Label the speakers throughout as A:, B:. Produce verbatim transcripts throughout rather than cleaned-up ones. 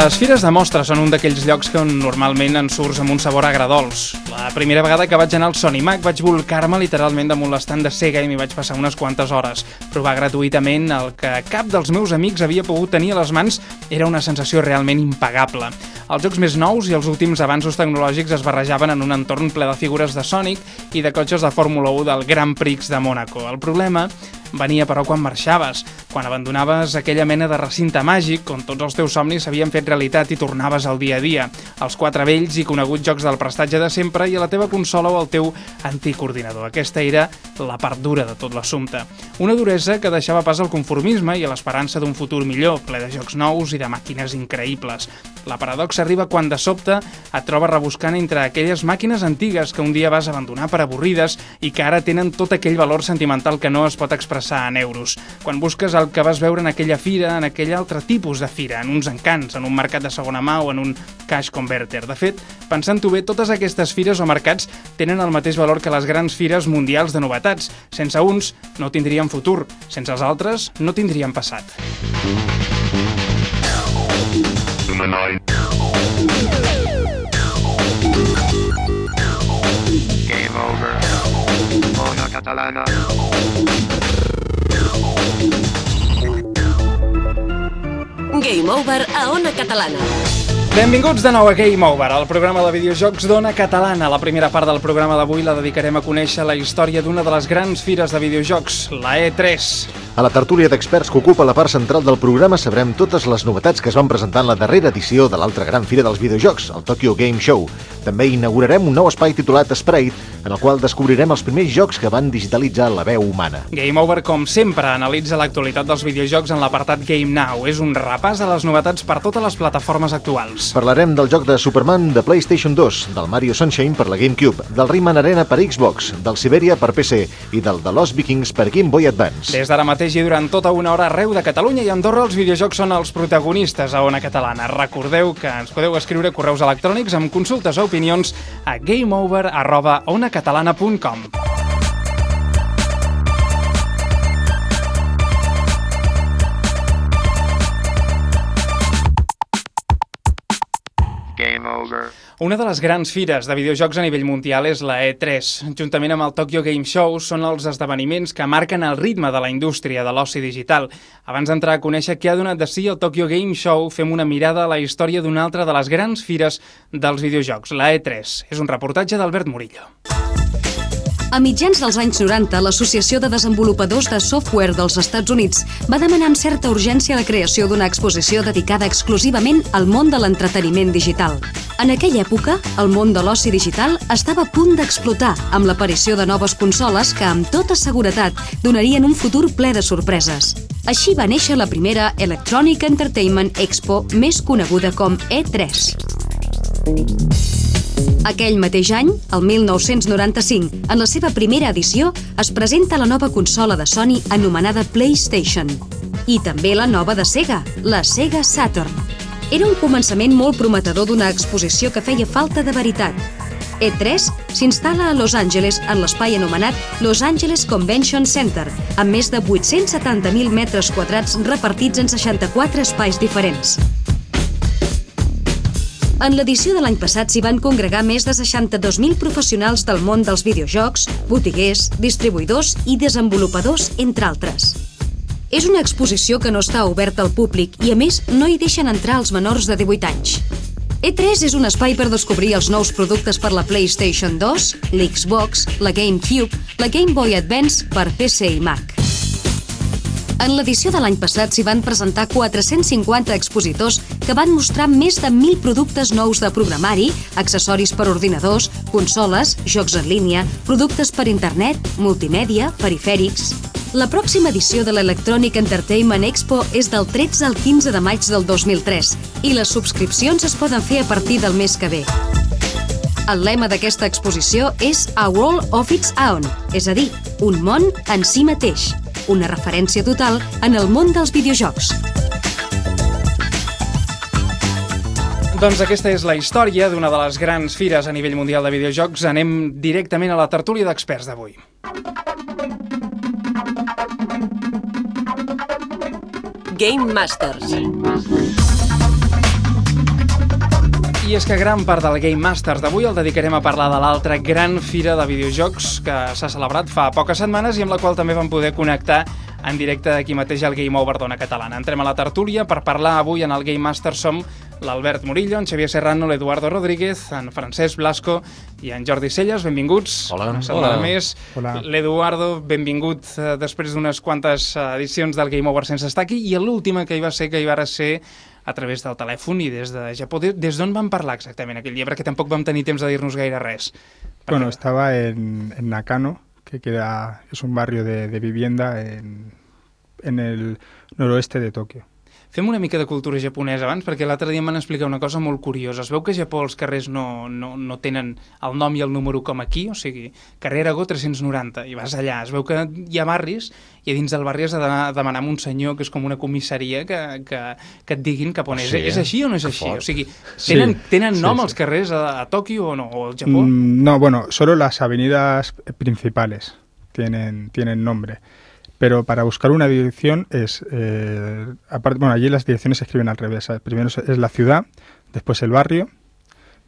A: Les fires de mostres són un d'aquells llocs que normalment en surts amb un sabor agradols. La primera vegada que vaig anar al Sonimac vaig volcar-me literalment damunt l'estand de Sega i m'hi vaig passar unes quantes hores. Provar gratuïtament el que cap dels meus amics havia pogut tenir a les mans era una sensació realment impagable. Els jocs més nous i els últims avanços tecnològics es barrejaven en un entorn ple de figures de Sonic i de cotxes de Fórmula u del Grand Prix de Mònaco. El problema venia, però, quan marxaves, quan abandonaves aquella mena de recinte màgic on tots els teus somnis s'havien fet realitat i tornaves al dia a dia, als quatre vells i coneguts jocs del prestatge de sempre i a la teva consola o al teu antic ordinador. Aquesta era la part dura de tot l'assumpte. Una duresa que deixava pas al conformisme i a l'esperança d'un futur millor, ple de jocs nous i de màquines increïbles. La paradoxa arriba quan de sobte et trobes rebuscant entre aquelles màquines antigues que un dia vas abandonar per avorrides i que ara tenen tot aquell valor sentimental que no es pot expressar en euros. Quan busques el que vas veure en aquella fira, en aquell altre tipus de fira, en uns encants, en un mercat de segona mà o en un cash converter. De fet, pensant-ho bé, totes aquestes fires o mercats tenen el mateix valor que les grans fires mundials de novetats. Sense uns no tindrien futur, sense els altres no tindrien passat.
B: Game over. Ona Catalana.
C: Game Over a Ona Catalana.
A: Benvinguts de nou a Game Over, el programa de videojocs d'Ona Catalana. La primera part del programa d'avui la dedicarem a conèixer la història d'una de les grans fires de videojocs, la E tres.
D: A la tertúlia d'experts que ocupa la part central del programa sabrem totes les novetats que es van presentar en la darrera edició de l'altra gran fira dels videojocs, el Tokyo Game Show. També inaugurarem un nou espai titulat Sprite, en el qual descobrirem els primers jocs que van digitalitzar la veu humana.
A: Game Over, com sempre, analitza l'actualitat dels videojocs en l'apartat Game Now. És un repàs a les novetats per totes les plataformes actuals.
D: Parlarem del joc de Superman de PlayStation dos, del Mario Sunshine per la GameCube, del Rayman Arena per Xbox, del Siberia per P C i del The Lost Vikings per Game Boy Advance.
A: Des d'ara mateix i durant tota una hora arreu de Catalunya i Andorra, els videojocs són els protagonistes a Ona Catalana. Recordeu que ens podeu escriure correus electrònics amb consultes o opinions a gameover arroba onacatalana punt com.
B: Game over.
A: Una de les grans fires de videojocs a nivell mundial és la E tres. Juntament amb el Tokyo Game Show són els esdeveniments que marquen el ritme de la indústria de l'oci digital. Abans d'entrar a conèixer què ha donat de si el Tokyo Game Show, fem una mirada a la història d'una altra de les grans fires dels videojocs, la E tres. És un reportatge d'Albert Murillo.
E: A mitjans dels anys noranta, l'Associació de Desenvolupadors de Software dels Estats Units va demanar amb certa urgència la creació d'una exposició dedicada exclusivament al món de l'entreteniment digital. En aquella època, el món de l'oci digital estava a punt d'explotar amb l'aparició de noves consoles que, amb tota seguretat, donarien un futur ple de sorpreses. Així va néixer la primera Electronic Entertainment Expo, més coneguda com E tres. Aquell mateix any, el mil nou-cents noranta-cinc, en la seva primera edició, es presenta la nova consola de Sony anomenada PlayStation. I també la nova de Sega, la Sega Saturn. Era un començament molt prometedor d'una exposició que feia falta de veritat. E tres s'instal·la a Los Angeles en l'espai anomenat Los Angeles Convention Center, amb més de vuit-cents setanta mil metres quadrats repartits en seixanta-quatre espais diferents. En l'edició de l'any passat s'hi van congregar més de seixanta-dos mil professionals del món dels videojocs, botiguers, distribuïdors i desenvolupadors, entre altres. És una exposició que no està oberta al públic i, a més, no hi deixen entrar els menors de divuit anys. E tres és un espai per descobrir els nous productes per la PlayStation dos, l'Xbox, la GameCube, la Game Boy Advance per P C i Mac. En l'edició de l'any passat s'hi van presentar quatre-cents cinquanta expositors que van mostrar més de mil productes nous de programari, accessoris per ordinadors, consoles, jocs en línia, productes per internet, multimèdia, perifèrics. La pròxima edició de l'Electronic Entertainment Expo és del tretze al quinze de maig del dos mil tres i les subscripcions es poden fer a partir del mes que ve. El lema d'aquesta exposició és A World of Its Own, és a dir, un món en si mateix. Una referència total en el món dels videojocs.
A: Doncs aquesta és la història d'una de les grans fires a nivell mundial de videojocs. Anem directament a la tertúlia d'experts d'avui.
C: Game Masters.
A: I és que gran part del Game Masters d'avui el dedicarem a parlar de l'altra gran fira de videojocs que s'ha celebrat fa poques setmanes i amb la qual també vam poder connectar en directe aquí mateix al Game Over d'Ona Catalana. Entrem a la tertúlia per parlar avui en el Game Masters. Som l'Albert Murillo, en Xavier Serrano, l'Eduardo Rodríguez, en Francesc Blasco i en Jordi Celles. Benvinguts.
D: Hola.
A: Una setmana
F: Hola.
A: més.
F: Hola.
A: L'Eduardo, benvingut eh, després d'unes quantes edicions del Game Over sense estar aquí, i l'última que hi va ser, que hi va ser a través del telèfon i des de Japó. Des d'on vam parlar exactament aquell dia? Perquè tampoc vam tenir temps de dir-nos gaire res.
F: Bueno, estaba en, en Nakano, que queda, es un barrio de, de vivienda en, en el noroeste de Tokio.
A: Fem una mica de cultura japonesa abans, perquè l'altre dia em van explicar una cosa molt curiosa. Es veu que a Japó els carrers no, no, no tenen el nom i el número com aquí, o sigui, carrer Aragó tres-cents noranta, i vas allà. Es veu que hi ha barris, i a dins del barri has de d'anar a demanar amb un senyor que és com una comissaria que, que, que et diguin cap on és.
D: Sí, eh?
A: És així o no és
D: Que
A: així?
D: fort.
A: O sigui, tenen,
F: Sí,
A: tenen nom
F: sí,
A: els
F: sí.
A: carrers a, a Tòquio o no? O al Japó?
F: Mm, no, bueno, solo las avenidas principales tienen, tienen nombre. Pero para buscar una dirección es, eh, aparte, bueno, allí las direcciones se escriben al revés. ¿Sabes? Primero es la ciudad, después el barrio,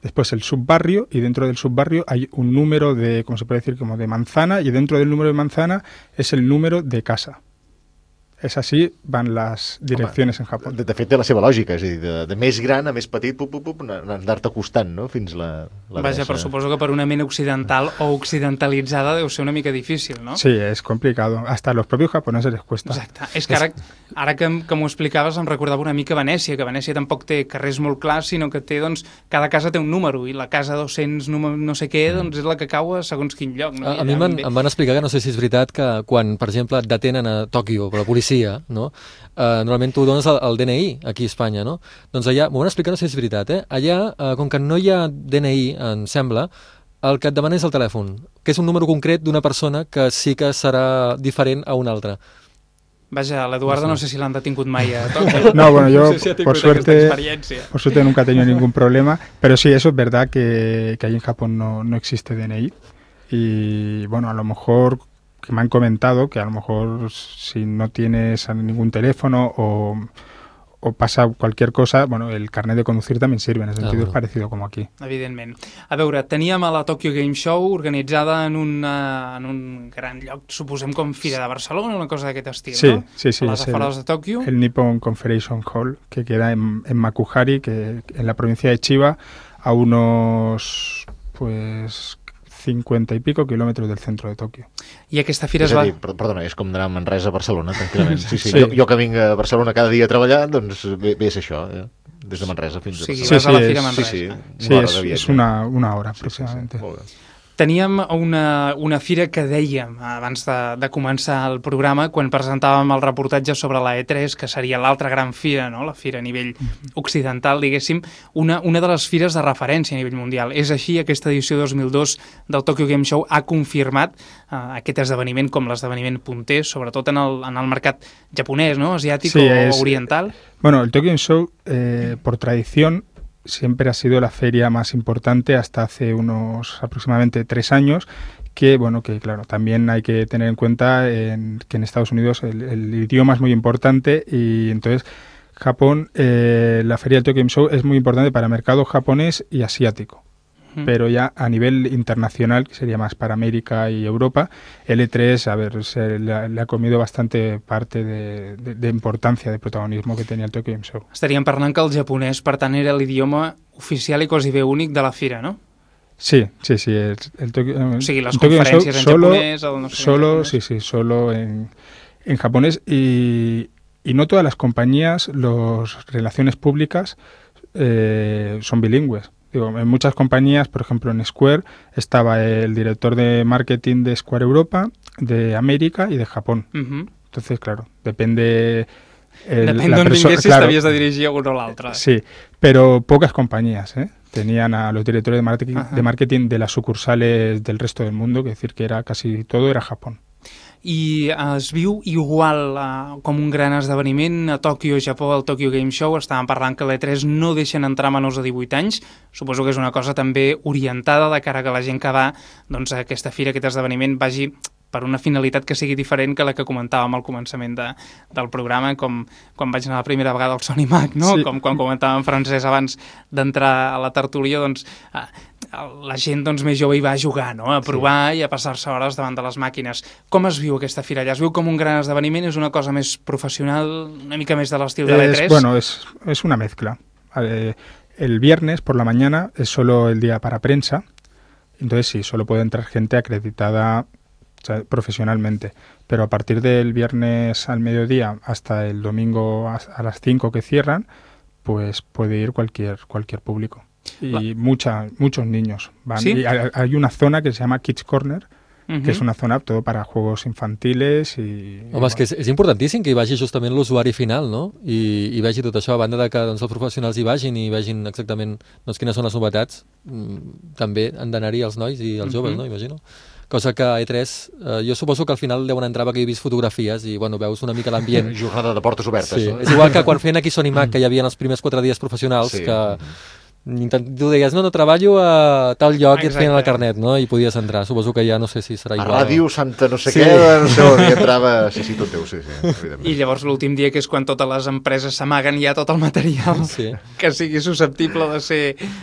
F: después el subbarrio, y dentro del subbarrio hay un número de, ¿cómo se puede decir? Como de manzana, y dentro del número de manzana es el número de casa. Es así van las direcciones en Japón.
D: De, de fet, té la seva lògica, és a dir, de, de més gran a més petit, pup, pup, pup, anar-te acostant, no?, fins la, la
A: Vaja,
D: adreça.
A: però suposo que per una ment occidental o occidentalitzada deu ser una mica difícil, no?
F: Sí, es complicado. Hasta a los propios japoneses les cuesta.
A: Exacte. És que ara, ara que, que m'ho explicaves em recordava una mica Venècia, que Venècia tampoc té carrers molt clars, sinó que té, doncs, cada casa té un número, i la casa dos-cents número no sé què, doncs és la que cau a segons quin lloc. No?
G: A,
A: I
G: a mi
A: allà
G: em,
A: ve-
G: em van explicar que no sé si és veritat que quan, per exemple, et detenen a Tòquio per la policia, no? Uh, normalment tu dones el, el D N I aquí a Espanya, no? Doncs allà, m'ho van explicar, no sé si és veritat, eh? Allà, uh, com que no hi ha D N I, em sembla, el que et demana és el telèfon, que és un número concret d'una persona que sí que serà diferent a una altra.
A: Vaja, l'Eduardo no sé si l'han detingut mai a Tòquio.
F: No, bueno, yo,
A: no sé si ha tingut
F: por suerte,
A: aquesta experiència.
F: por suerte nunca he tenido ningún problema, pero sí, eso es verdad que, que ahí en Japón no, no existe D N I. Y bueno, a lo mejor que me han comentado que a lo mejor si no tienes ningún teléfono o, o pasa cualquier cosa, bueno, el carnet de conducir también sirve, en el sentido
G: bueno.
F: es parecido como aquí.
A: Evidentment. A veure, teníem a la Tokyo Game Show organitzada en, una, en un gran lloc, suposem com Fira de Barcelona, una cosa d'aquest estil,
F: Sí,
A: no?
F: sí, sí,
A: A les
F: es el-
A: afores de Tòquio.
F: El Nippon Conference Hall, que queda en, en Makuhari, que en la provincia de Chiba, a unos pues cincuenta y pico kilómetros del centro de Tokio.
A: I aquesta fira
D: És
A: es
D: a
A: va...
D: dir, per- perdona, és com anar a Manresa a Barcelona, tranquil·lament. Sí, sí,
F: Sí.
D: Jo, jo que vinc a Barcelona cada dia a treballar, doncs ve, ve a ser això, eh? Des de Manresa fins
A: O
D: a
A: sigui,
D: Barcelona.
A: vas a la
F: sí,
A: Fira
F: és-
A: Manresa.
D: Sí, sí,
F: Sí,
D: una hora
F: es,
D: de viatge.
F: es una, una hora
D: Sí, sí, sí,
F: aproximadamente.
D: molt bé.
A: Teníem una, una fira que dèiem abans de, de començar el programa, quan presentàvem el reportatge sobre la E tres, que seria l'altra gran fira, no? La fira a nivell occidental, diguéssim, una, una de les fires de referència a nivell mundial. És així, aquesta edició dos mil dos del Tokyo Game Show ha confirmat uh, aquest esdeveniment com l'esdeveniment punter, sobretot en el, en el mercat japonès, no? Asiàtic
F: Sí,
A: o
F: és-
A: oriental.
F: Bueno, el Tokyo Game Show, eh, por tradición, siempre ha sido la feria más importante hasta hace unos aproximadamente tres años, que, bueno, que claro, también hay que tener en cuenta en, que en Estados Unidos el, el idioma es muy importante y entonces Japón, eh, la feria del Tokyo Game Show es muy importante para el mercado japonés y asiático.
A: Mm.
F: Pero ya a nivel internacional, que sería más para América y Europa, el E tres, a ver, se le, ha, le ha comido bastante parte de, de, de importancia, de protagonismo que tenía el Tokyo Game Show.
A: Estaríem parlant que el japonès, per tant, era l'idioma oficial i quasi bé únic de la fira, no?
F: Sí, sí, sí. El, el Tokyo,
A: O sigui, les
F: el Tokyo Game
A: conferències en
F: Show solo,
A: japonès, el no sé què en
F: solo,
A: japonès.
F: sí, sí, solo en, en japonés y, y no todas las compañías, las relaciones públicas eh, son bilingües. Digo, en muchas compañías, por ejemplo en Square, estaba el director de marketing de Square Europa, de América y de Japón.
A: Uh-huh.
F: Entonces, claro, depende... el-
A: Depèn
F: la
A: d'on
F: perso-
A: vinguessis,
F: claro,
A: t'havies de dirigir a un o l'altre.
F: Sí, pero pocas compañías, ¿eh? Tenían a los directores de marketing,
A: Ajá.
F: de marketing de las sucursales del resto del mundo, que decir que era casi todo era Japón.
A: I es viu igual uh, com un gran esdeveniment a Tòquio, Japó, al Tokyo Game Show. Estàvem parlant que l'E tres no deixen entrar menors de divuit anys. Suposo que és una cosa també orientada de cara a que la gent que va doncs, a aquesta fira, a aquest esdeveniment, vagi per una finalitat que sigui diferent que la que comentàvem al començament de, del programa, com quan vaig anar la primera vegada al Sony Mac, no? Sí. Com quan comentàvem en francès abans d'entrar a la tertúlia, doncs eh, la gent doncs, més jove hi va a jugar, no? A provar sí. i a passar-se hores davant de les màquines. Com es viu aquesta fira allà? Es viu com un gran esdeveniment? És una cosa més professional, una mica més de l'estil de l'E tres?
F: Bueno, es, es una mezcla. Eh, el viernes por la mañana es solo el día para prensa, entonces sí, solo puede entrar gente acreditada profesionalmente, pero a partir del viernes al mediodía hasta el domingo a las cinco que cierran, pues puede ir cualquier cualquier público y La... mucha, muchos niños van.
A: ¿Sí?
F: Y hay, hay una zona que se llama Kids Corner, Uh-huh. que és una zona todo para juegos infantiles i...
G: Home, i és que és, és importantíssim que hi vagi justament l'usuari final, no? I, i vegi tot això, a banda de que doncs, els professionals hi vagin i vegin exactament doncs, quines són les novetats, també han d'anar-hi els nois i els joves, uh-huh. no? Imagino. Cosa que a E tres, eh, jo suposo que al final deuen entrar perquè he vist fotografies i bueno, veus una mica l'ambient.
D: Jornada de portes obertes.
G: Sí.
D: No?
G: És igual que quan feien aquí Sony Mac, que hi havia els primers quatre dies professionals, sí. que... tu deies, no, no, treballo a tal lloc i et feien el carnet, no? I podies entrar. Suposo que ja no sé si serà igual.
D: A ràdio, Santa no sé sí. què, no sé on hi entrava... Sí, sí, tot teu, sí, sí, evidentment.
A: I llavors l'últim dia, que és quan totes les empreses s'amaguen ja tot el material sí. que sigui susceptible de ser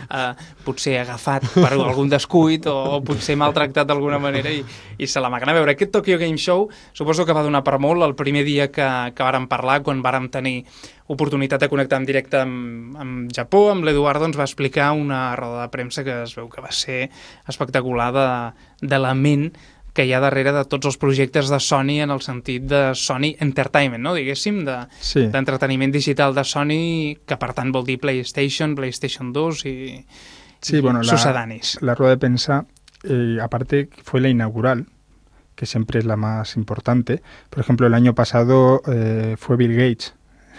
A: uh, potser agafat per algun descuit o, o potser maltractat d'alguna manera i, i se l'amaguen. A veure, aquest Tokyo Game Show suposo que va donar per molt el primer dia que, que vàrem parlar, quan vàrem tenir oportunitat de connectar en directe amb, amb Japó, amb l'Eduardo ens va explicar una roda de premsa que es veu que va ser espectacular de, de la ment que hi ha darrere de tots els projectes de Sony en el sentit de Sony Entertainment, no? Diguéssim, de,
F: sí.
A: d'entreteniment digital de Sony, que per tant vol dir PlayStation, PlayStation dos i,
F: sí,
A: i
F: bueno,
A: sucedanis.
F: La, la rueda de prensa, eh, aparte, fue la inaugural, que siempre es la más importante. Por ejemplo, el año pasado eh, fue Bill Gates,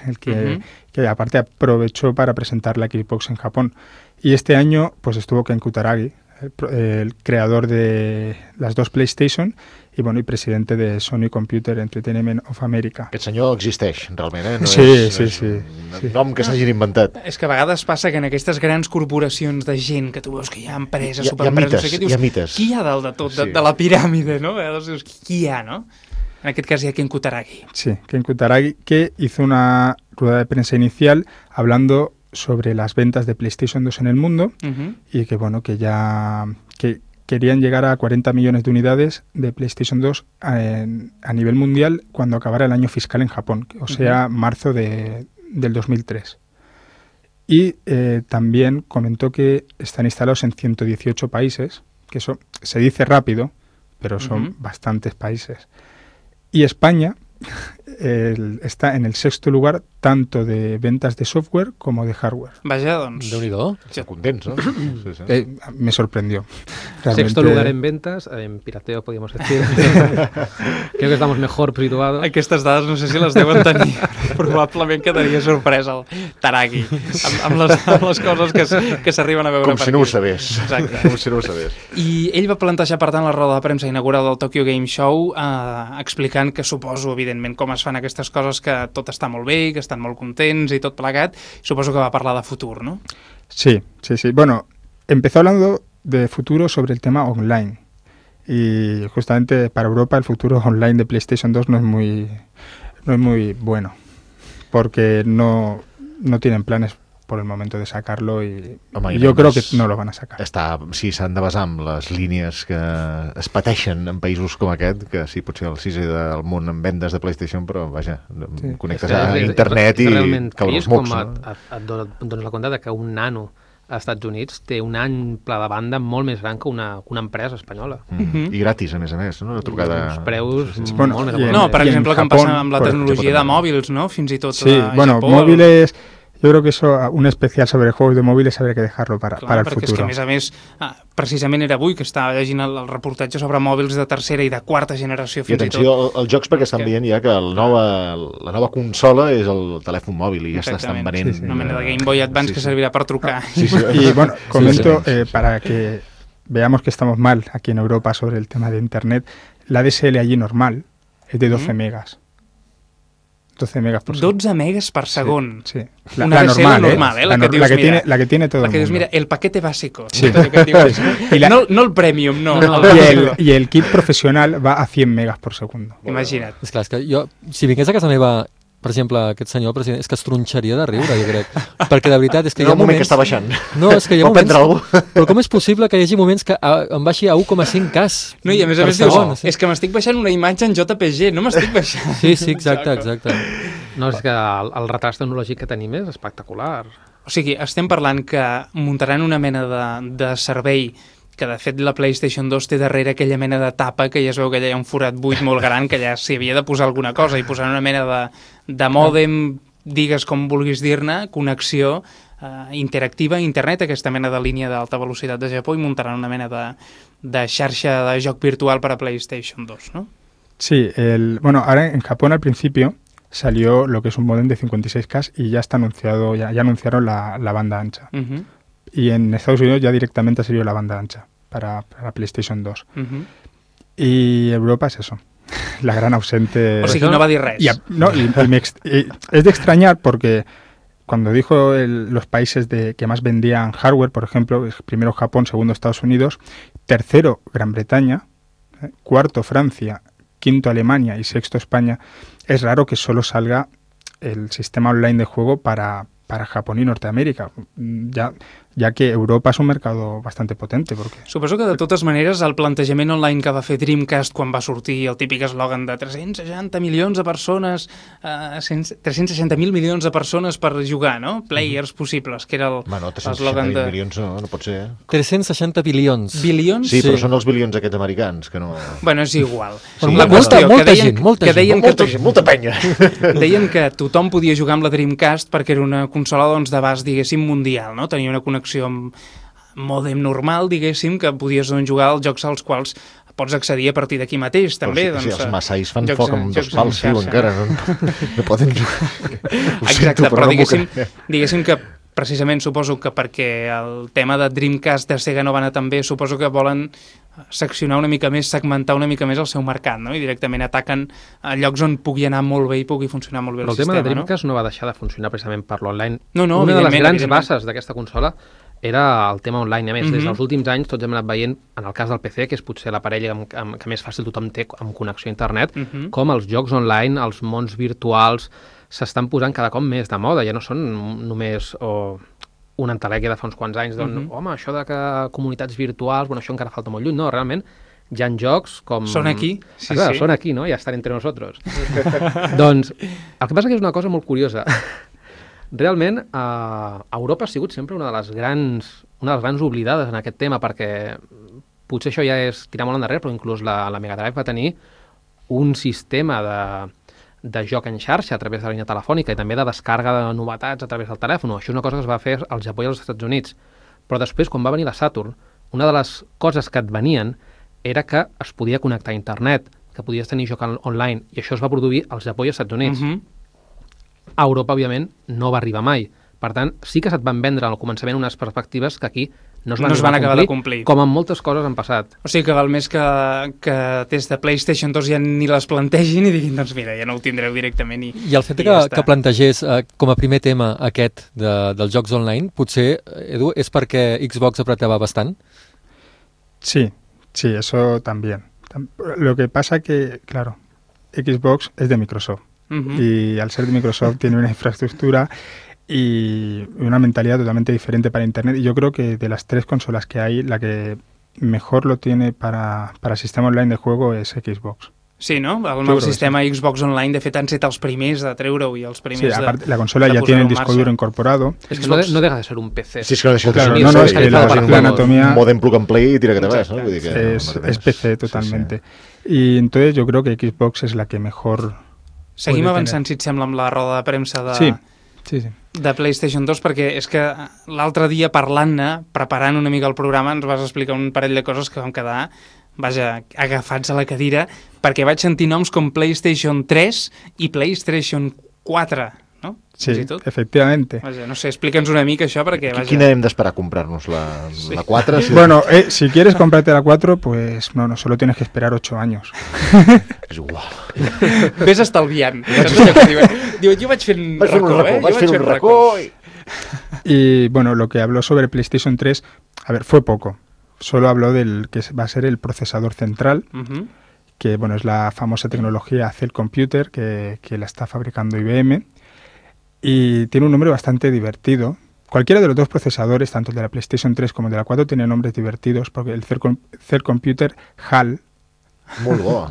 F: el que, uh-huh. que aparte aprovechó para presentar la Xbox en Japón. Y este año pues estuvo Ken Kutaragi, el, el creador de las dos PlayStation i, bueno, i presidente de Sony Computer Entertainment of America.
D: Aquest senyor existeix, realment, eh? No
F: sí,
D: és,
F: sí,
D: és
F: sí.
D: un
F: sí.
D: nom que s'hagin inventat.
A: És que a vegades passa que en aquestes grans corporacions de gent que tu veus que hi ha empreses,
D: hi ha,
A: superempreses,
D: hi ha mites,
A: no sé què, dius,
D: hi ha mites.
A: Qui hi ha dalt de tot, de,
D: sí.
A: de la piràmide, no? Llavors dius, qui hi ha, no? En aquest cas hi ha Ken Kutaragi.
F: Sí, Ken Kutaragi, que hizo una rueda de prensa inicial hablando sobre las ventas de PlayStation dos en el mundo uh-huh. y que, bueno, que ya que querían llegar a cuarenta millones de unidades de PlayStation dos a, en, a nivel mundial cuando acabara el año fiscal en Japón, o sea, uh-huh. marzo de, del dos mil tres. Y eh, también comentó que están instalados en ciento dieciocho países, que eso se dice rápido, pero son uh-huh. bastantes países. Y España el, está en el sexto lugar tanto de ventas de software como de hardware.
A: Vaja, doncs...
G: Déu-n'hi-do.
D: Estan contents, ¿no? Sí, sí.
F: Eh, me sorprendió.
H: Realmente... Sexto lugar en ventas, en pirateo, podríamos decir. Creo que estamos mejor situados.
A: Aquestes dades no sé si les deuen tenir. Probablement quedaria sorprès el Taragi amb, amb, les, amb les coses que, que s'arriben a veure.
D: Com si no ho sabés.
A: Exacte.
D: Com si no ho sabés.
A: I ell va plantejar, per tant, la roda de premsa inaugural del Tokyo Game Show, eh, explicant que suposo, evidentment, com es fan aquestes coses, que tot està molt bé, que estan molt contents i tot plegat. Suposo que va parlar de futur, ¿no?
F: Sí, sí, sí. Bueno, empezó hablando de futuro sobre el tema online. Y justamente para Europa el futuro online de PlayStation dos no es muy, no es muy bueno, porque no, no tienen planes por el momento de sacarlo y, Home, i jo crec que no lo van a sacar.
D: Està, sí, s'han de basar en les línies que es pateixen en països com aquest, que sí, potser el sisè del món en vendes de PlayStation, però vaja, sí. connectes a internet i cauen els mocs.
H: Com no? et, et dones la compte de que un nano als Estats Units té un any pla de banda molt més gran que una, una empresa espanyola.
D: Mm. Mm-hmm. I gratis, a més a més, no? Una trucada...
H: Uns preus sí, sí.
F: Bueno,
H: molt més...
A: No, per exemple, com passa amb la tecnologia de mòbils, no? Fins i tot
F: sí,
A: a
F: bueno,
A: Japó...
F: Móviles... Yo creo que eso, un especial sobre juegos de móviles habría que dejarlo para,
A: Clar,
F: para el
A: perquè
F: futuro.
A: És que, a més a més, precisament era avui que estava llegint el, el reportatge sobre mòbils de tercera i de quarta generació, fins
D: I atenció,
A: i tot.
D: als jocs, perquè estan que... veient ja que el nova, la nova consola és el telèfon mòbil i ja s'estan venent.
A: Sí, sí. Una mena de Game Boy Advance sí, sí. que servirà per trucar.
F: Sí, sí. Y bueno, comento eh, para que veamos que estamos mal aquí en Europa sobre el tema de Internet, la D S L allí normal es de doce mm. megas. doce megas por segundo.
A: dotze megas per segon.
F: Sí, sí. La,
A: Una
F: la
A: D S L
F: normal,
A: normal,
F: eh?
A: eh?
F: La,
A: La que
F: no-
A: dius,
F: la que
A: mira,
F: tiene, la que tiene todo
A: La
F: el
A: que dius,
F: mundo.
A: mira, el paquete básico.
F: Sí.
A: Allò que et dius,
F: I la-
A: no, no el premium, no.
H: No, no.
A: el
F: Y el,
A: bàsico.
F: y el kit profesional va a cien megas por segundo.
A: Imagina't.
G: És clar, és que jo, si vingués a casa meva, per exemple, aquest senyor, el president, és que es tronxaria de riure, jo crec. Perquè de veritat és que
D: Hi
G: hi
D: ha
G: ha
D: un moment
G: moments...
D: que està baixant.
G: No, és que hi ha
D: Pot
G: moments...
D: prendre algú.
G: Però com és possible que hi hagi moments que a, em baixi a u coma cinc cas?
A: No, i a més a
G: per
A: més dius,
G: segon,
A: oh, és que m'estic baixant una imatge en J P G, no m'estic baixant.
G: Sí, sí, exacte, exacte.
H: No, és que el, el retard tecnològic que tenim és espectacular.
A: O sigui, estem parlant que muntaran una mena de, de servei que de fet la PlayStation dos té darrere aquella mena de tapa que ja es veu que allà hi ha un forat buit molt gran que ja s'hi havia de posar alguna cosa i posar una mena de, de mòdem, digues com vulguis dir-ne, connexió eh, interactiva a internet, aquesta mena de línia d'alta velocitat de Japó, i muntaran una mena de, de xarxa de joc virtual per a PlayStation dos, ¿no?
F: Sí, el, bueno, ahora en Japón al principio salió lo que es un modem de cincuenta y seis K y ya está anunciado, ya, ya anunciaron la, la banda ancha.
A: Uh -huh,
F: Y en Estados Unidos ya directamente salió la banda ancha para, para PlayStation dos.
A: uh -huh.
F: Y Europa es eso, la gran ausente.
A: O sigui, no va dir res.
F: Y, a- no, y- y me ex- y es de extrañar porque cuando dijo el- los países de, que más vendían hardware, por ejemplo, es primero Japón, segundo Estados Unidos, tercero Gran Bretaña, eh, cuarto Francia, quinto Alemania y sexto España, es raro que solo salga el sistema online de juego para, para Japón y Norteamérica, mm, ya, ya que Europa es un mercado bastante potente. Porque
A: Suposo que de totes maneres el plantejament online que va fer Dreamcast quan va sortir el típic eslògan de tres-cents seixanta milions de persones, eh, tres-cents seixanta mil milions de persones per jugar, no? Players possibles, que era el-
D: Bueno, tres-cents
A: l'eslògan
D: seixanta
A: de...
D: milions no, no pot ser. Eh?
G: tres-cents seixanta bilions.
A: Bilions?
D: Sí,
G: Sí.
D: però són els bilions aquests americans, que no...
A: Bueno, és igual.
G: Bueno,
A: La
G: molta-
A: qüestió,
G: molta
A: que deien,
G: gent, molta
A: que
G: gent.
A: deien que
D: molta
A: tot-
D: gent, molta penya.
A: Deien que tothom podia jugar amb la Dreamcast perquè era una consola doncs, d'abast, diguéssim, mundial, no? Tenia una connexió amb mòdem normal, diguéssim, que podies doncs, jugar als jocs als quals pots accedir a partir d'aquí mateix, també.
D: Però sí,
A: doncs,
D: sí, els massais fan
A: jocs
D: foc
A: en-
D: amb dos
A: jocs en
D: pals, diu,
A: xarxa.
D: encara. No, no poden jugar. Ho
A: Exacte,
D: sento,
A: però,
D: no m'ho
A: diguéssim,
D: crec.
A: diguéssim que precisament suposo que perquè el tema de Dreamcast de Sega no va anar tan bé, suposo que volen seccionar una mica més, segmentar una mica més el seu mercat, no? I directament ataquen a llocs on pugui anar molt bé i pugui funcionar molt bé
H: Però
A: el,
H: el tema
A: sistema,
H: de Dreamcast no? no va deixar de funcionar precisament per l'online.
A: No, no,
H: Una de les
A: evidentment,
H: grans
A: evidentment.
H: bases d'aquesta consola era el tema online. A més,
A: Mhm.
H: des dels últims anys tots hem anat veient, en el cas del P C, que és potser l'aparell amb, amb, que més fàcil tothom té amb connexió a internet,
A: Mhm.
H: com els jocs online, els mons virtuals, s'estan posant cada cop més de moda. Ja no són només o, una entelèquia de fa uns quants anys, d'on,
A: Mhm.
H: home, això de que comunitats virtuals, bueno, això encara falta molt lluny. No, realment, hi ha jocs com...
A: Són aquí, sí,
H: ah, clar,
A: sí.
H: Són aquí, no? Ja estan entre nosotros. Doncs, el que passa que és una cosa molt curiosa. Realment, eh, Europa ha sigut sempre una de les grans una de les grans oblidades en aquest tema, perquè potser això ja és tirar molt endarrere, però inclús la, la Mega Drive va tenir un sistema de, de joc en xarxa a través de la línia telefònica i també de descarga de novetats a través del telèfon. Això és una cosa que es va fer al Japó i als Estats Units. Però després, quan va venir la Saturn, una de les coses que et venien era que es podia connectar a internet, que podies tenir joc on- online, i això es va produir al Japó i als Estats Units.
A: Mhm.
H: A Europa, òbviament, no va arribar mai. Per tant, sí que se't van vendre al començament unes perspectives que aquí no es van,
A: No es
H: arribar
A: van
H: a
A: acabar de complir.
H: Com en moltes coses han passat.
A: O sigui que val més que, que des de PlayStation dos ja ni les plantegin i diguin, doncs mira, ja no ho tindreu directament i,
G: I el fet
A: i
G: que,
A: ja està.
G: que plantegés eh, com a primer tema aquest de, dels jocs online, potser, Edu, és perquè Xbox apretava bastant?
F: sí, sí, eso también. Tam- Lo que pasa que, claro, Xbox es de Microsoft.
A: Mhm.
F: Y al ser de Microsoft tiene una infraestructura y una mentalidad totalmente diferente para Internet. Y yo creo que de las tres consolas que hay, la que mejor lo tiene para, para sistema online de juego es Xbox.
A: Sí, no? El
F: creo
A: nou
F: que
A: sistema Xbox Online, de fet, han set els primers de treure-ho i els
F: Sí,
A: primers de...
F: aparte, la consola
A: de
F: ya tiene el
A: posar-ho en
F: disco
A: marxa.
F: duro incorporado.
H: És que no, de, no deja de ser un P C.
D: Sí, és que no deixa de
F: Claro,
D: ser
F: no, no, es
D: sí,
F: que la,
D: vas a
F: la
D: un
F: anatomía
D: modem plug and play i tira que te vas, no? Vull dir que,
F: es,
D: no, no,
F: es P C totalmente. Y entonces yo creo que Xbox es la que mejor...
A: Seguim
F: puede
A: avançant, si et sembla, amb la roda de premsa de,
F: Sí, sí, sí.
A: de PlayStation dos, perquè és que l'altre dia parlant-ne, preparant una mica el programa, ens vas explicar un parell de coses que vam quedar, vaja, agafats a la cadira, perquè vaig sentir noms com PlayStation tres i PlayStation quatre. no?
F: Sí,
A: Fins i tot.
F: efectivamente.
A: Vaja, no sé, explica'ns una mica això perquè... Vaja...
D: Quina hem d'esperar a comprar-nos? La,
A: Sí.
D: la quatre? Si...
F: Bueno, eh, si quieres comprarte la cuatro, pues no, no, solo tienes que esperar ocho años.
D: És igual.
A: Ves estalviant. Saps allò que diuen? Diuen, jo vaig fent
D: Vaig fer un
A: racó,
D: racó,
A: eh?
D: vaig
A: Jo
D: fer
A: vaig
D: un
A: fent
D: racó i...
F: Y bueno, lo que habló sobre PlayStation tres, a ver, fue poco. Solo habló del que va a ser el procesador central,
A: Uh-huh.
F: que bueno, es la famosa tecnología Cell Computer que, que la está fabricando I B M. Y tiene un nombre bastante divertido. Cualquiera de los dos procesadores, tanto el de la PlayStation tres como el de la cuatro, tiene nombres divertidos, porque el Cell, Com- Cell Computer H A L
D: Molt bo.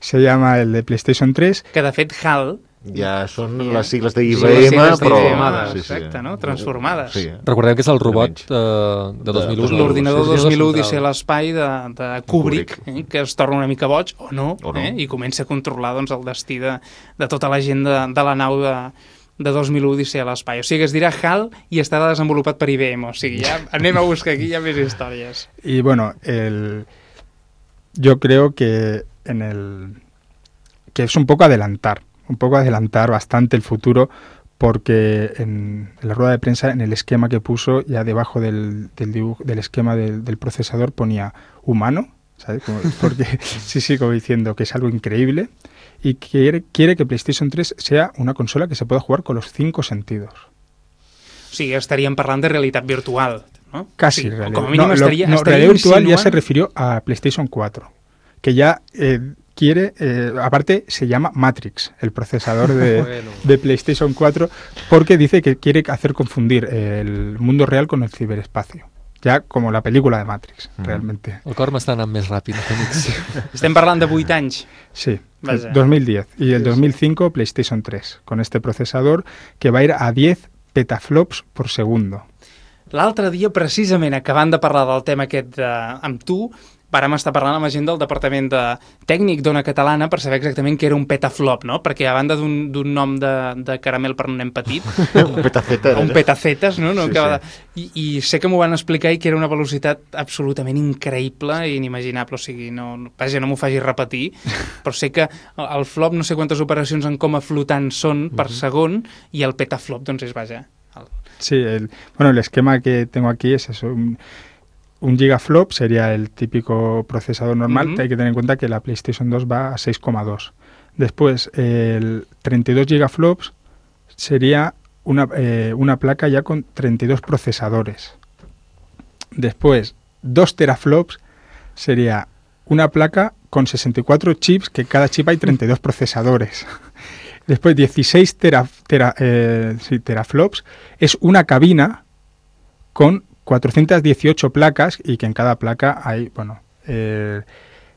F: se llama el de PlayStation tres.
A: Que de fet H A L
D: Ja són
A: Sí,
D: les sigles de I
A: són
D: B
A: les
D: M,
A: sigles
D: però...
A: transformades, exacte, no? Transformades.
D: Sí.
G: Recordem que és el robot
D: Menys.
G: eh, de dos mil u.
D: De-
G: no?
A: L'ordinador
G: Sí,
A: dos mil u
G: central.
A: Odissea a l'espai de, de Kubrick, eh, que es torna una mica boig, o no,
D: O no.
A: Eh, i comença a controlar doncs, el destí de, de tota la gent de, de la nau de, de dos mil u Odissea a l'espai. O sigui, es dirà H A L i estarà desenvolupat per I B M. O sigui, ja anem a buscar aquí ja més històries.
F: Y bueno, el, yo creo que en el que es un poco adelantar, un poco adelantar bastante el futuro, porque en, en la rueda de prensa, en el esquema que puso, ya debajo del, del, dibujo, del esquema del, del procesador ponía humano, ¿sabes? Como- porque sí, sí, como diciendo que es algo increíble, y quiere, quiere que PlayStation tres sea una consola que se pueda jugar con los cinco sentidos.
A: O sigui, estaríem parlant de realitat virtual, no?
F: Casi
A: o sigui,
F: realidad.
A: Com a mínim
F: no, lo-
A: estaria,
F: no,
A: estaria
F: realidad virtual ya se
A: insinuant-
F: refirió a PlayStation cuatro, que ya eh, quiere, eh, aparte se llama Matrix, el procesador de,
H: Bueno.
F: de PlayStation cuatro, porque dice que quiere hacer confundir el mundo real con el ciberespacio. Ya como la película de Matrix,
D: Mm.
F: realmente.
G: El cor m'està anant més ràpid, amics.
A: Estem parlant de vuit anys.
F: Sí,
A: Vaya.
F: dos mil diez. Y el dos mil cinco PlayStation tres, con este procesador que va a ir a diez petaflops por segundo.
A: L'altre dia, precisament, acabant de parlar del tema aquest de, amb tu, vàrem estar parlant amb la gent del Departament de Tècnic d'Ona Catalana per saber exactament què era un petaflop, no? Perquè a banda d'un d'un nom de, de caramel per un nen petit,
D: Un petaceta.
A: un petacetes, no? no
D: Sí,
A: Acaba
D: sí.
A: de... I, I sé que m'ho van explicar i que era una velocitat absolutament increïble i inimaginable, o sigui, no, no- vaja, no m'ho faci repetir, però sé que el el flop no sé quantes operacions en coma flotant són per segon i el petaflop, doncs és, vaja... El...
F: Sí, el, bueno, el esquema que tengo aquí es eso. Un, un gigaflop sería el típico procesador normal.
A: Ujú.
F: Hay que tener en cuenta que la PlayStation dos va a seis coma dos. Después, el treinta y dos gigaflops sería una, eh, una placa ya con treinta y dos procesadores. Después, dos teraflops sería una placa con sesenta y cuatro chips, que cada chip hay treinta y dos procesadores. Después, dieciséis tera, tera, eh, sí, teraflops es una cabina con cuatrocientas dieciocho placas y que en cada placa hay, bueno, eh,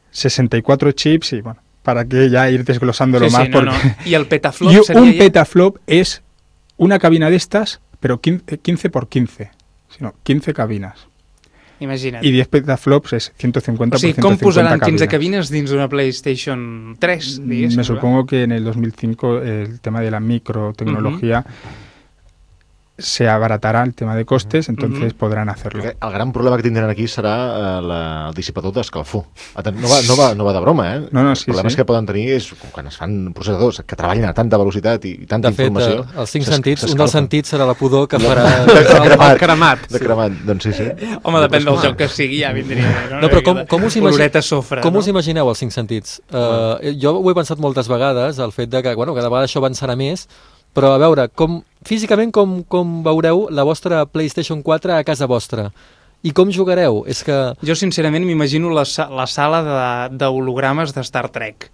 F: sesenta y cuatro chips y, bueno, para que ya ir desglosándolo
A: Sí,
F: más.
A: sí, no, no.
F: porque...
A: I el petaflop
F: Y
A: seria
F: un
A: ja...
F: petaflop es una cabina de estas, pero quince, quince por quince, sino quince cabinas.
A: Imagina't.
F: Y diez petaflops es ciento cincuenta
A: O sigui,
F: por
A: com
F: ciento cincuenta
A: posaran quinze
F: cabinas.
A: cabines dins d'una PlayStation tres, diguéssim?
F: Me supongo que en el dos mil cinco el tema de la microtecnología se abaratará el tema de costes, entonces
A: Ujú.
F: podrán hacerlo.
D: Perquè el gran problema que tindran aquí serà eh, la, el dissipador d'escalfor. Aten- No va, no, va, no va de broma, eh?
F: No, no, sí,
D: els problemes
F: sí.
D: que poden tenir és quan es fan processadors que treballen a tanta velocitat i, i tanta
G: De fet,
D: informació...
G: eh, els cinc
D: s'es-
G: sentits, un
D: s'escalfen.
G: dels sentits serà la pudor que
D: De-
G: farà...
D: de, de cremat.
H: El cremat.
D: De cremat, doncs sí, sí.
A: Home, depèn del joc que sigui, ja vindria bé, no?
G: No, però com, com, us, imagi...
A: Oloreta sofre,
G: com
A: no?
G: us imagineu els cinc sentits? Uh, jo ho he pensat moltes vegades, el fet de que, bueno, cada vegada això avançarà més, però a veure, com, físicament com, com veureu la vostra PlayStation quatre a casa vostra? I com jugareu? És que...
A: Jo, sincerament, m'imagino la, sa- la sala de- d'hologrames de, de Star Trek.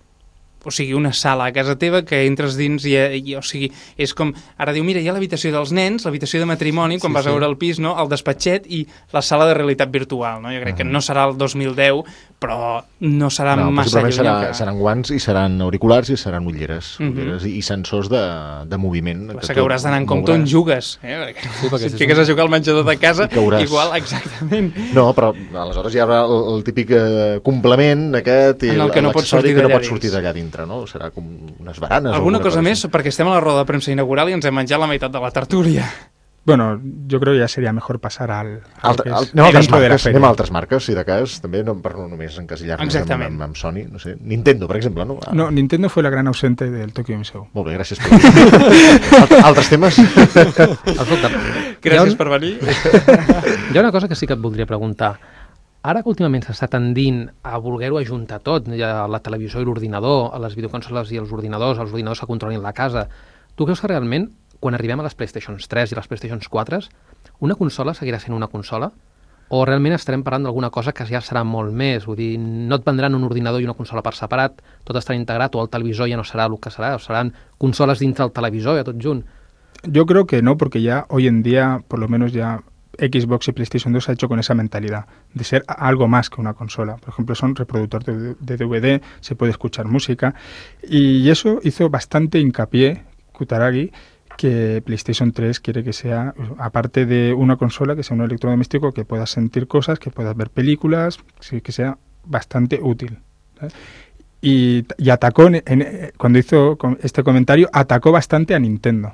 A: O sigui, una sala a casa teva que entres dins i, i o sigui, és com... Ara diu, mira, hi ha l'habitació dels nens, l'habitació de matrimoni, quan
G: Sí,
A: sí, vas
G: sí.
A: a veure el pis, no? El despatxet i la sala de realitat virtual, no? Jo crec que no serà el dos mil deu, però no serà
D: No,
A: massa
D: possiblement
A: lluny.
D: serà,
A: que...
D: seran guants i seran auriculars i seran ulleres,
A: Mhm.
D: ulleres i, i sensors de, de moviment.
A: Passa que hauràs d'anar en compte on jugues, eh? Perquè
G: Sí, perquè
A: si
G: si
A: et fiques
G: és
A: a jugar al menjador de casa,
D: I cauràs.
A: igual, exactament.
D: No, però aleshores hi haurà el, el típic eh, complement aquest i
A: En el que no pots
D: l'accessori
A: sortir
D: que no
A: d'allà
D: pots
A: dins.
D: sortir d'allà dintre, no? Serà com unes baranes o
A: Alguna cosa més,
D: així.
A: perquè estem a la roda de premsa inaugural i ens hem menjat la meitat de la tertúlia.
F: Bueno, yo creo que ya sería mejor pasar al... al
D: Altre,
F: que
D: al,
F: es
D: anem, a altres
F: dentro de la
D: marques,
F: feria.
D: anem a altres marques, si de cas, també, no, per no només encasillar-nos amb, amb, amb Sony, no sé, Nintendo, per exemple, no? Ah.
F: No, Nintendo fue la gran ausente del Tokyo Game Show.
D: Molt bé, gràcies per Alt, altres temes?
H: Escolta,
A: gràcies un... per venir.
H: Hi ha una cosa que sí que et voldria preguntar. Ara que últimament s'està tendint a voler-ho ajuntar tot, ja la televisió i l'ordinador, a les videoconsoles i els ordinadors, els ordinadors que controlin la casa, tu creus que realment, quan arribem a les PlayStation tres i les PlayStation quatre, una consola seguirà sent una consola? O realment estarem parlant d'alguna cosa que ja serà molt més? Vull dir, no et vendran un ordinador i una consola per separat, tot estarà integrat, o el televisor ja no serà el que serà, o seran consoles dintre el televisor, ja tot junt.
F: Yo creo que no, porque ya hoy en día, por lo menos ya Xbox y PlayStation dos se ha hecho con esa mentalidad de ser algo más que una consola. Por ejemplo, son reproductor de, de D V D, se puede escuchar música, y eso hizo bastante hincapié Kutaragi, que PlayStation tres quiere que sea, aparte de una consola, que sea un electrodoméstico que puedas sentir cosas, que puedas ver películas, que sea bastante útil. ¿sabes? Y, y atacó, en, en, cuando hizo este comentario, atacó bastante a Nintendo,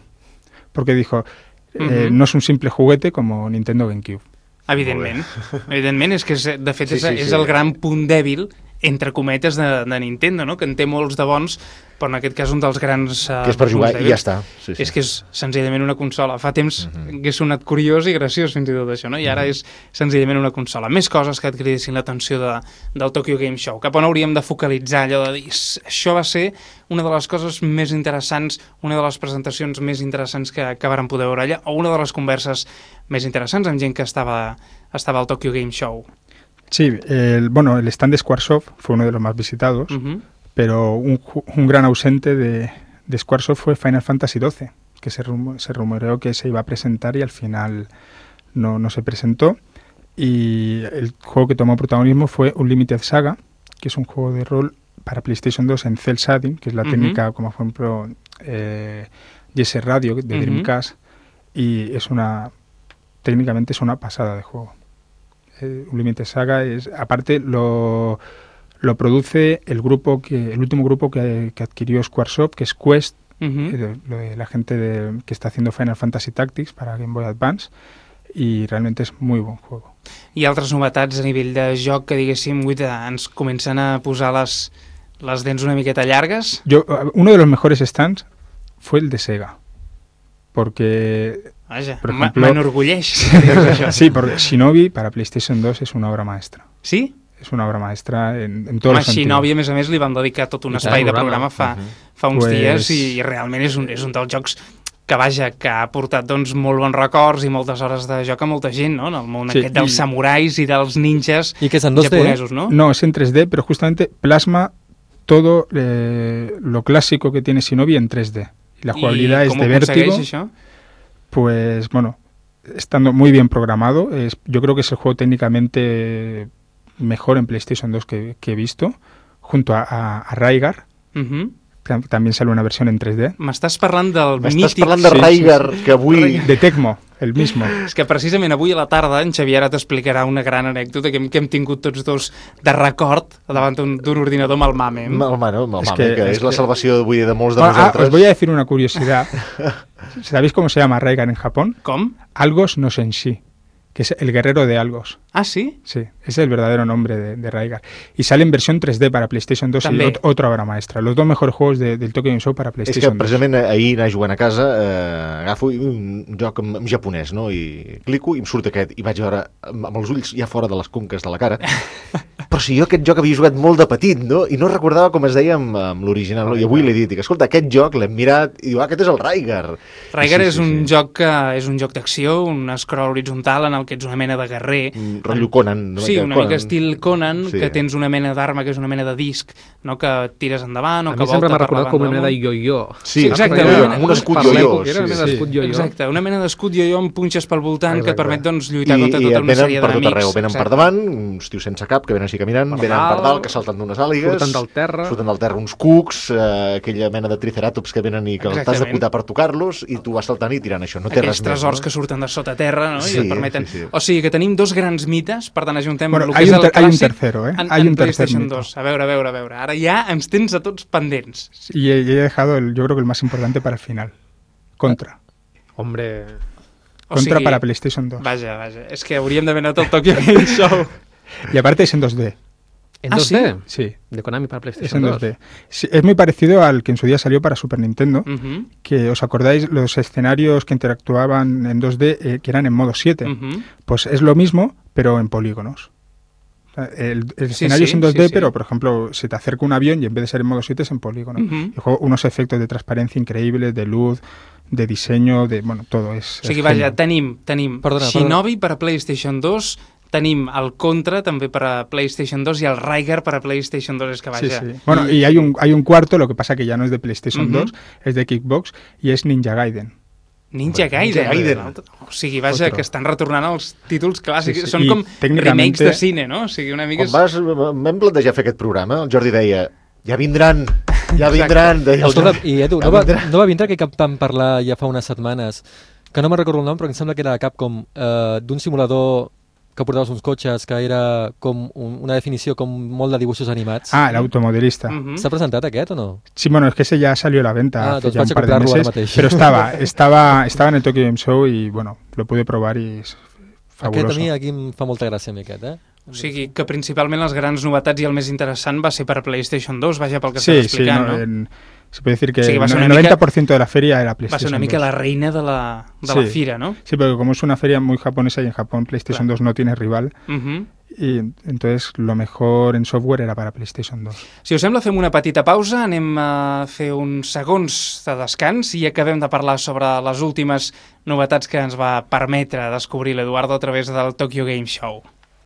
F: porque dijo, eh, uh-huh. no es un simple juguete como Nintendo GameCube.
A: Evidentment, evidentment, és que és, de fet és,
D: sí, sí,
A: és
D: sí.
A: el gran punt dèbil, entre cometes, de, de Nintendo, no? Que en té molts de bons, però en aquest cas un dels grans uh,
D: que és per jugar
A: punts
D: i ja està. Sí, sí.
A: És que és senzillament una consola. Fa temps uh-huh. que és sonat curiós i graciós fins i tot això, no? I ara uh-huh. és senzillament una consola. Més coses que et cridessin l'atenció de, del Tokyo Game Show. Cap on hauríem de focalitzar allò de dir això va ser una de les coses més interessants, una de les presentacions més interessants que, que varen poder veure allà, o una de les converses més interessants amb gent que estava, estava al Tokyo Game Show.
F: Sí, el, bueno, el stand de Squaresoft fue uno de los más visitados, uh-huh. pero un, un gran ausente de, de Squaresoft fue Final Fantasy doce, que se, rum, se rumoreó que se iba a presentar y al final no, no se presentó. Y el juego que tomó protagonismo fue Unlimited Saga, que es un juego de rol para PlayStation dos en cel shading, que es la uh-huh. técnica, como por ejemplo eh, Jesse Radio de uh-huh. Dreamcast, y es una, técnicamente es una pasada de juego. Eh, Unlimited Saga es, aparte lo, lo produce el grupo que el último grupo que, que adquirió Squaresoft, que es Quest, uh-huh. eh, de, de la gente de, que está haciendo Final Fantasy Tactics para Game Boy Advance, y realmente es muy buen juego.
A: I altres novetats a nivell de joc que, diguéssim, ens comencen a posar les, les dents una miqueta llargues?
F: Yo, uno de los mejores stands fue el de Sega, porque...
A: Vaja,
F: por ejemplo,
A: m'enorgulleix.
F: Sí, porque Shinobi para PlayStation dos es una obra maestra.
A: ¿Sí?
F: Es una obra maestra en, en todos
A: Home,
F: los sentidos.
A: Shinobi, a més a més, li van dedicar tot un espai de programa fa, uh-huh. fa uns
F: pues...
A: dies i, i realment és un, és un dels jocs que, vaja, que ha portat doncs, molt bons records i moltes hores de joc a molta gent, no? En el món sí, aquest dels i... samurais i dels ninjas
G: I que és en dos D,
A: japonesos, no?
F: No, es en tres D, pero justamente plasma todo eh, lo clásico que tiene Shinobi en tres D. Y la jugabilidad es de vértigo.
A: Això?
F: Pues bueno, estando muy bien programado, es, yo creo que es el juego técnicamente mejor en PlayStation dos que, que he visto, junto a, a, a Raigar.
A: Uh-huh.
F: También sale una versión en tres D.
A: M'estàs parlant del mític...
D: M'estàs parlant de Raigar, sí, sí, sí. que avui...
F: De Tecmo, el mismo.
A: És que precisament avui a la tarda en Xavier ara t'explicarà una gran anècdota que hem, que hem tingut tots dos de record davant d'un ordinador amb el MAME.
D: Amb el MAME, amb el
F: es
D: MAME,
F: que,
D: que és
F: es
D: la
F: que...
D: salvació avui de molts de
F: bueno,
D: nosaltres.
F: Ah, os voy a decir una curiosidad. ¿Sabéis cómo se llama Raigar en Japón?
A: ¿Cómo?
F: Algos no Senshi, que es el guerrero de Algos.
A: ¿Ah, sí?
F: Sí, ese es el verdadero nombre de, de Raigar. Y sale en versión tres D para PlayStation dos També. Y ot otra obra maestra. Los dos mejores juegos de, del Tokyo Game Show para PlayStation dos.
D: És que precisament dos. Ahir anar jugant a casa, eh, agafo un joc en, en japonès, no? I clico i em surt aquest. I vaig veure amb els ulls ja fora de les conques de la cara. Però si jo aquest joc havia jugat molt de petit, no? I no recordava com es deia amb, amb l'original. No? I avui l'he dit, dic, escolta, aquest joc l'hem mirat i diu, ah, aquest és el Raigar.
A: Raigar
D: sí,
A: és
D: sí,
A: un
D: sí.
A: joc que és un joc d'acció, un scroll horitzontal en el que ets una mena de guerrer.
D: Mm, rotllo Conan.
A: No? Sí, una
D: Conan.
A: mica estil Conan,
D: sí.
A: que tens una mena d'arma que és una mena de disc, no? Que tires endavant o
H: a
A: que
H: volta per la banda. A mi sempre m'ha recordat com una mena de yo-yo.
D: Sí,
A: exacte.
D: Una mena, amb un escut yo-yo.
H: Era una mena
D: sí,
H: d'escut yo-yo.
A: Exacte, una mena d'escut yo-yo amb punxes pel voltant
D: exacte.
A: Que et permet doncs, lluitar
D: I,
A: contra tota una sèrie d'enemics.
D: I venen per tot arreu, venen exacte. Per davant, uns tios sense cap que venen així caminant, per venen per dalt, que salten d'unes àligues,
H: surten del terra,
D: surten del terra uns cucs, eh, aquella mena de triceratops que venen i que t'has de cuidar per tocar-los i tu vas saltant i tirant això, no té
A: aquells
D: res més.
A: Tresors
D: no?
A: Que surten de sota terra, no?
D: Sí,
A: I et permeten...
D: sí, sí.
A: O sigui que tenim dos grans mites, per tant ajuntem
F: bueno,
A: el que és el clàssic
F: hay un tercero, ¿eh?
A: en,
F: hay
A: en
F: un
A: PlayStation
F: tercer
A: dos. A veure, a veure, a veure. Ara ja ens tens a tots pendents.
F: Y he, he dejado, el, yo creo que el más importante para el final. Contra.
H: Hombre...
A: O
F: contra
A: sigui,
F: para PlayStation dos.
A: Vaja, vaja, és que hauríem d'haver anat al Tokyo Game Show.
F: Y aparte es en dos D.
H: ¿En
A: ¿Ah,
H: dos D?
F: Sí.
H: De Konami para
F: Es
H: PlayStation
F: en
H: dos.
F: dos D. Sí, es muy parecido al que en su día salió para Super Nintendo,
A: Uh-huh.
F: que os acordáis los escenarios que interactuaban en dos D eh, que eran en modo siete.
A: Uh-huh.
F: Pues es lo mismo, pero en polígonos. O sea, El, el
A: Sí,
F: escenario
A: sí,
F: es en dos D,
A: sí, sí.
F: pero por ejemplo se te acerca un avión y en vez de ser en modo siete es en polígono.
A: Uh-huh.
F: Y juego unos efectos de transparencia increíbles, de luz, de diseño, de bueno, todo es.
A: O sigui,
F: es
A: vaja,
F: genial.
A: tenim, tenim
G: Perdona,
A: Shinobi per a PlayStation dos, tenim el Contra també per a PlayStation dos i el Rygar per a PlayStation dos, és que
F: Sí,
A: vaja.
F: sí. Bueno, y hay un, hay un cuarto, lo que pasa que ya no es de PlayStation
A: Ujú.
F: dos, es de Kickbox y es Ninja Gaiden.
A: Ninja
D: Ninja
A: Gaiden.
D: Gaiden.
A: O sigui, vaja,
F: Otro.
A: que estan retornant els títols clàssics.
F: Sí, sí.
A: Són
F: I
A: com
F: tècnicament-
A: remakes de cine, no? O sigui, una mica...
D: Quan vas, vam plantejar fer aquest programa, el Jordi deia, ja vindran, ja vindran, deia el
G: Escolta,
D: Jordi.
G: i Edu,
D: Ja
G: no va,
D: vindran.
G: no va vindre que cap vam parlar ja fa unes setmanes, que no me'n recordo el nom, però em sembla que era de Capcom, eh, d'un simulador que portaves uns cotxes, que era com un, una definició com molt de dibuixos animats.
F: Ah, el automodelista.
A: Mhm.
G: S'ha presentat aquest o no?
F: Sí, bueno, es que ese ya salió a la venta
G: Ah,
F: hace
G: doncs
F: ya un
G: vaig a
F: par de
G: comprarlo ara
F: meses,
G: mateix.
F: pero estaba, estaba, estaba en el Tokyo Game Show y bueno, lo pude probar y es
G: Aquest
F: fabuloso.
G: a mi aquí em fa molta gràcia, a mi aquest, eh?
A: O sigui, que principalment les grans novetats i el més interessant va ser per a PlayStation dos, vaja, pel que
F: Sí,
A: estàs
F: sí,
A: explicant,
F: no,
A: no?
F: en- se puede decir que
A: O sigui, va
F: el
A: ser una
F: noventa por ciento de la feria era
A: Va
F: PlayStation
A: ser una mica
F: dos.
A: la reina de la, de la
F: Sí.
A: fira, no?
F: Sí, porque como es una feria muy japonesa y en Japón PlayStation
A: Claro.
F: dos no tiene rival,
A: Mhm.
F: y entonces lo mejor en software era para PlayStation dos.
A: Si us sembla, fem una petita pausa, anem a fer uns segons de descans i acabem de parlar sobre les últimes novetats que ens va permetre descobrir l'Eduardo a través del Tokyo Game Show.